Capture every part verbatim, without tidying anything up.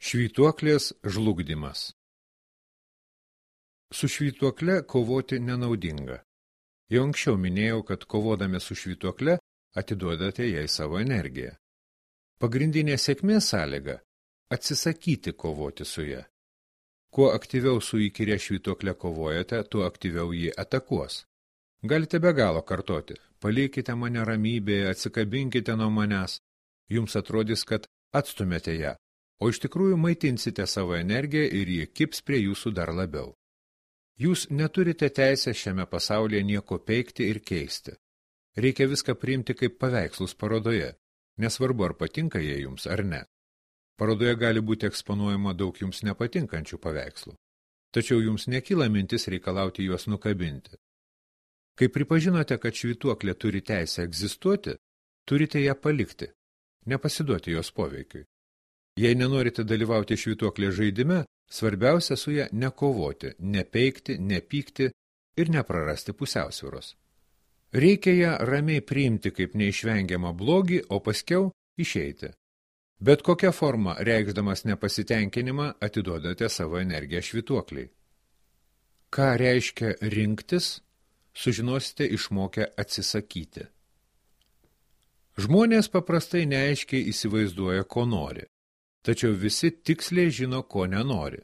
Švytuoklės žlugdymas. Su švytuokle kovoti nenaudinga. Jau anksčiau minėjau, kad kovodami su švytuokle atiduodate jai savo energiją. Pagrindinė sėkmės sąlyga – atsisakyti kovoti su ja. Kuo aktyviau su įkyria švytuokle kovojate, tuo aktyviau jį atakuos. Galite be galo kartoti – palikite mane ramybėje, atsikabinkite nuo manęs. Jums atrodys, kad atstumėte ją, o iš tikrųjų maitinsite savo energiją ir ji kips prie jūsų dar labiau. Jūs neturite teisę šiame pasaulyje nieko peikti ir keisti. Reikia viską priimti kaip paveikslus parodoje, nesvarbu ar patinka jie jums ar ne. Parodoje gali būti eksponuojama daug jums nepatinkančių paveikslų, tačiau jums nekyla mintis reikalauti juos nukabinti. Kai pripažinote, kad švytuoklė turi teisę egzistuoti, turite ją palikti, nepasiduoti jos poveikiui. Jei nenorite dalyvauti švytuoklės žaidime, svarbiausia su ją nekovoti, nepeikti, nepykti ir neprarasti pusiausvyros. Reikia ją ramiai priimti kaip neišvengiamą blogį, o paskiau išeiti. Bet kokia forma, reikšdamas nepasitenkinimą, atiduodate savo energiją švytuokliai. Ką reiškia rinktis, sužinosite išmokę atsisakyti. Žmonės paprastai neaiškiai įsivaizduoja, ko nori. Tačiau visi tiksliai žino, ko nenori.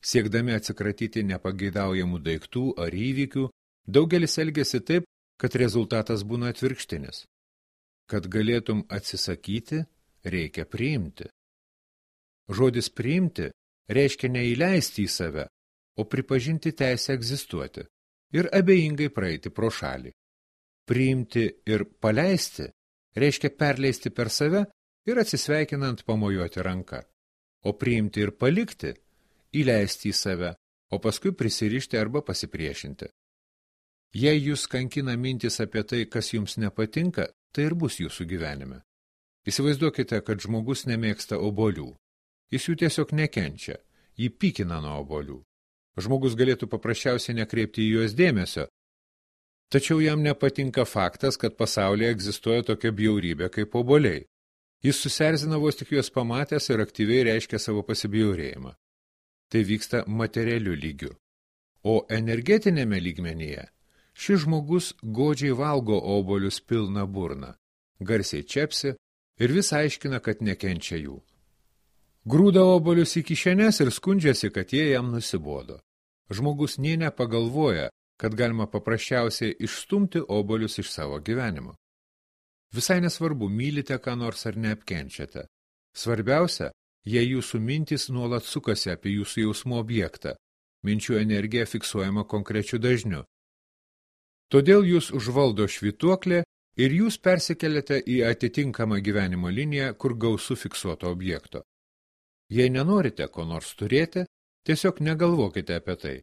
Siekdami atsikratyti nepageidaujamų daiktų ar įvykių, daugelis elgiasi taip, kad rezultatas būna atvirkštinis. Kad galėtum atsisakyti, reikia priimti. Žodis priimti reiškia neįleisti į save, o pripažinti teisę egzistuoti ir abejingai praeiti pro šalį. Priimti ir paleisti reiškia perleisti per save ir atsisveikinant pamojuoti ranką, o priimti ir palikti, įleisti į save, o paskui prisirišti arba pasipriešinti. Jei jūs kankina mintis apie tai, kas jums nepatinka, tai ir bus jūsų gyvenime. Įsivaizduokite, kad žmogus nemėgsta obuolių. Jis jų tiesiog nekenčia, jį pykina nuo obuolių. Žmogus galėtų paprasčiausiai nekreipti į juos dėmesio, tačiau jam nepatinka faktas, kad pasaulyje egzistuoja tokia bjaurybė kaip obuoliai. Jis susierzina vos tik juos pamatęs ir aktyviai reiškia savo pasibjaurėjimą. Tai vyksta materialiu lygiu. O energetinėme lygmenyje šis žmogus godžiai valgo obuolius pilna burna, garsiai čepsi ir vis aiškina, kad nekenčia jų. Grūda obuolius į kišenes ir skundžiasi, kad jie jam nusibodo. Žmogus nė nepagalvoja, kad galima paprasčiausiai išstumti obuolius iš savo gyvenimo. Visai nesvarbu, mylite ką nors ar neapkenčiate. Svarbiausia, jei jūsų mintys nuolat sukasi apie jūsų jausmų objektą, minčių energija fiksuojama konkrečiu dažniu. Todėl jūs užvaldo švytuoklė ir jūs persikeliate į atitinkamą gyvenimo liniją, kur gausu fiksuoto objekto. Jei nenorite ko nors turėti, tiesiog negalvokite apie tai.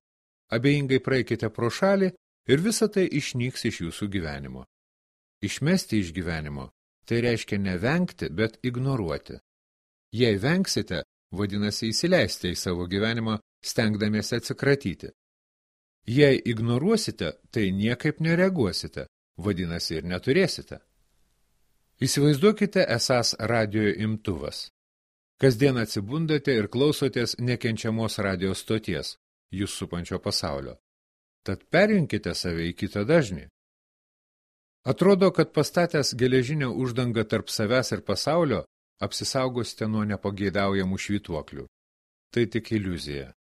Abejingai praeikite pro šalį ir visa tai išnyks iš jūsų gyvenimo. Išmesti iš gyvenimo – tai reiškia nevengti, bet ignoruoti. Jei vengsite, vadinasi įsileisti į savo gyvenimą, stengdamiesi atsikratyti. Jei ignoruosite, tai niekaip nereaguosite, vadinasi ir neturėsite. Įsivaizduokite esąs radijo imtuvas. Kasdien atsibundate ir klausotės nekenčiamos radijo stoties, jūs supančio pasaulio. Tad perjunkite save į kitą dažnį. Atrodo, kad pastatęs geležinę uždangą tarp savęs ir pasaulio, apsisaugosite nuo nepageidaujamų švytuoklių. Tai tik iliuzija.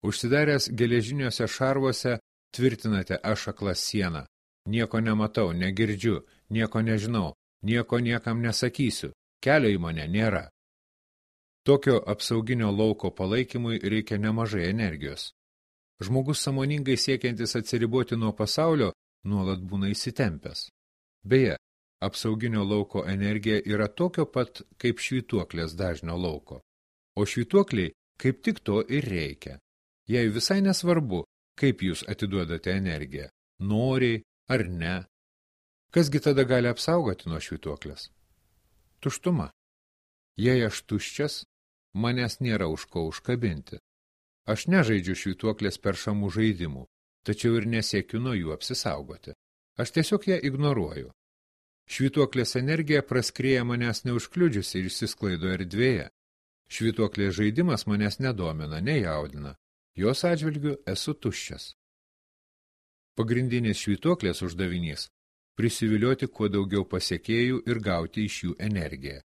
Užsidaręs geležiniuose šarvuose tvirtinate aš akla sieną. Nieko nematau, negirdžiu, nieko nežinau, nieko niekam nesakysiu, kelio į mane nėra. Tokio apsauginio lauko palaikymui reikia nemažai energijos. Žmogus sąmoningai siekiantis atsiriboti nuo pasaulio, nuolat būna įsitempęs. Beje, apsauginio lauko energija yra tokio pat kaip švytuoklės dažnio lauko. O švytuokliai kaip tik to ir reikia. Jei visai nesvarbu, kaip jūs atiduodate energiją, noriai ar ne. Kasgi tada gali apsaugoti nuo švytuoklės? Tuštuma. Jei aš tuščias, manęs nėra už ko užkabinti. Aš nežaidžiu švytuoklės peršamų žaidimų, tačiau ir nesiekiu nuo jų apsisaugoti. Aš tiesiog ją ignoruoju. Švytuoklės energija praskrieja manęs neužkliudžiusi ir išsisklaido erdvėje. Švytuoklės žaidimas manęs nedomina, nejaudina. Jos atžvilgiu esu tuščias. Pagrindinis švytuoklės uždavinys – prisivilioti kuo daugiau pasiekėjų ir gauti iš jų energiją.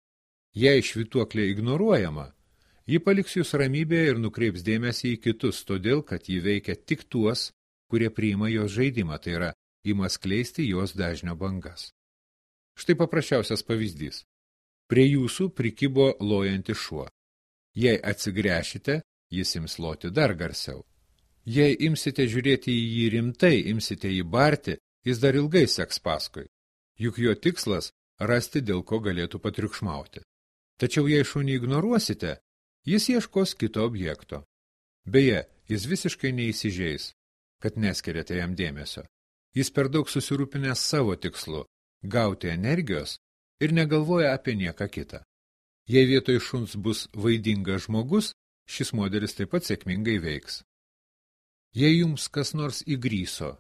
Jei švytuoklė ignoruojama, ji paliks jūs ramybėje ir nukreips dėmesį į kitus, todėl, kad ji veikia tik tuos, kurie priima jos žaidimą, tai yra, ima skleisti jos dažnio bangas. Štai paprasčiausias pavyzdys. Prie jūsų prikibo lojantis šuo. Jei atsigręšite, jis ims loti dar garsiau. Jei imsite žiūrėti į jį rimtai, imsite jį barti, jis dar ilgai seks paskui. Juk jo tikslas – rasti, dėl ko galėtų patriukšmauti. Tačiau jei šunį ignoruosite, jis ieškos kito objekto. Beje, jis visiškai neįsižeis, kad neskiriate jam dėmesio. Jis per daug susirūpinęs savo tikslu – gauti energijos ir negalvoja apie nieką kitą. Jei vietoj šuns bus vaidingas žmogus, šis modelis taip pat sėkmingai veiks. Jei jums kas nors įgryso,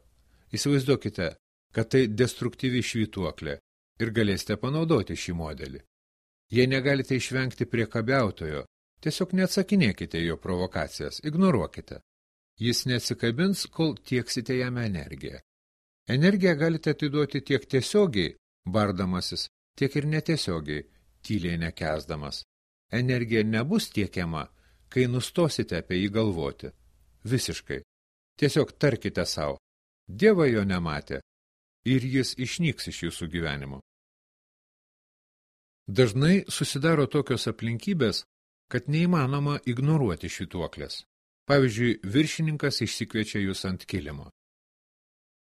įsivaizduokite, kad tai destruktyvi švytuoklė ir galėsite panaudoti šį modelį. Jei negalite išvengti priekabiautojo, tiesiog neatsakinėkite jo provokacijas, ignoruokite. Jis neatsikabins, kol tieksite jam energiją. Energiją galite atiduoti tiek tiesiogiai, bardamasis, tiek ir netiesiogiai, tyliai nekęsdamas. Energija nebus tiekiama, kai nustosite apie jį galvoti. Visiškai. Tiesiog tarkite savo. Dievas jo nematė ir jis išnyks iš jūsų gyvenimo. Dažnai susidaro tokios aplinkybės, kad neįmanoma ignoruoti švytuoklės. Pavyzdžiui, viršininkas išsikviečia jūs ant kilimo.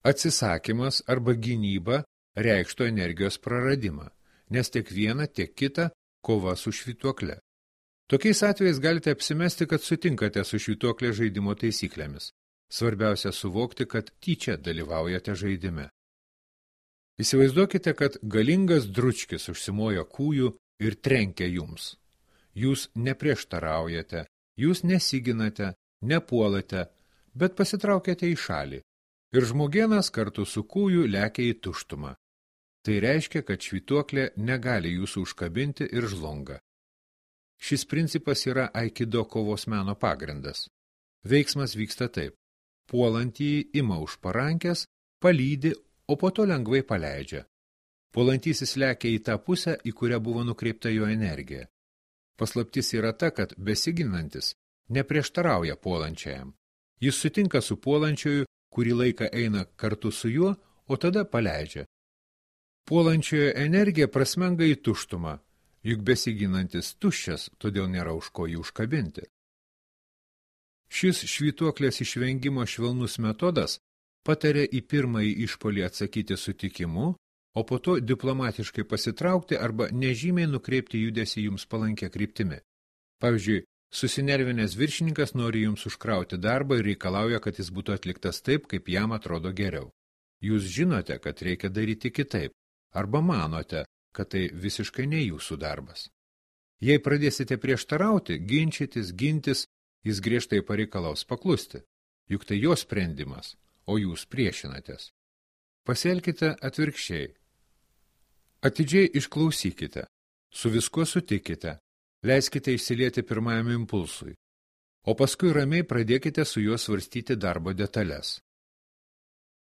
Atsisakymas arba gynyba reikštų energijos praradimą, nes tiek viena, tiek kita kova su švytuokle. Tokiais atvejais galite apsimesti, kad sutinkate su švytuoklė žaidimo taisyklėmis. Svarbiausia suvokti, kad tyčia dalyvaujate žaidime. Įsivaizduokite, kad galingas dručkis užsimojo kūjų ir trenkia jums. Jūs neprieštaraujate, jūs nesiginate, nepuolate, bet pasitraukėte į šalį. Ir žmogėnas kartu su kūju lekia į tuštumą. Tai reiškia, kad švytuoklė negali jūsų užkabinti ir žlunga. Šis principas yra aikido kovos meno pagrindas. Veiksmas vyksta taip. Puolantįjį ima už parankės, palydi, o po to lengvai paleidžia. Puolantysis lekia į tą pusę, į kurią buvo nukreipta jo energija. Paslaptis yra ta, kad besiginantis neprieštarauja puolančiajam. Jis sutinka su puolančioju, kurį laiką eina kartu su juo, o tada paleidžia. Puolančiojo energija prasmenga į tuštumą, juk besiginantis tuščias, todėl nėra už ko jį užkabinti. Šis švytuoklės išvengimo švelnus metodas patarė į pirmąjį išpuolį atsakyti sutikimu, o po to diplomatiškai pasitraukti arba nežymiai nukreipti judesį jums palankę kryptimi. Pavyzdžiui, susinervinęs viršininkas nori jums užkrauti darbą ir reikalauja, kad jis būtų atliktas taip, kaip jam atrodo geriau. Jūs žinote, kad reikia daryti kitaip, arba manote, kad tai visiškai ne jūsų darbas. Jei pradėsite prieštarauti, ginčytis, gintis, jis griežtai pareikalaus paklusti, juk tai jo sprendimas, o jūs priešinatės. Pasielkite atvirkščiai. Atidžiai išklausykite, su viskuo sutikite, leiskite išsilieti pirmajam impulsui, o paskui ramiai pradėkite su juo svarstyti darbo detalės.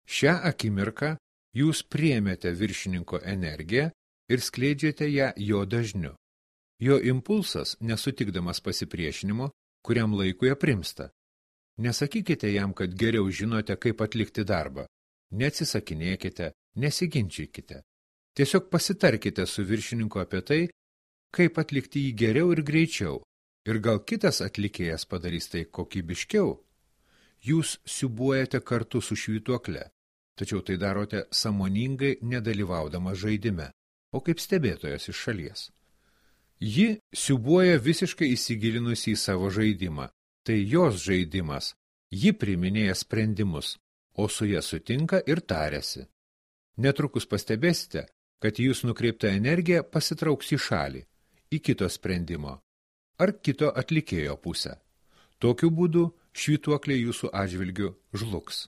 Šią akimirką jūs priėmėte viršininko energiją ir skleidžiate ją jo dažniu. Jo impulsas, nesutikdamas pasipriešinimo, kuriam laikui aprimsta. Nesakykite jam, kad geriau žinote, kaip atlikti darbą. Neatsisakinėkite, nesiginčykite. Tiesiog pasitarkite su viršininku apie tai, kaip atlikti jį geriau ir greičiau, ir gal kitas atlikėjas padarys tai kokybiškiau. Jūs siūbuojate kartu su švytuokle, tačiau tai darote sąmoningai nedalyvaudama žaidime, o kaip stebėtojas iš šalies. Ji siūbuoja visiškai įsigilinusi į savo žaidimą. Tai jos žaidimas. Ji priiminėja sprendimus, o su ja sutinka ir tariasi. Netrukus pastebėsite, kad jūs nukreipta energija pasitrauks į šalį, į kito sprendimo ar kito atlikėjo pusę. Tokiu būdu švytuoklė jūsų atžvilgiu žlugs.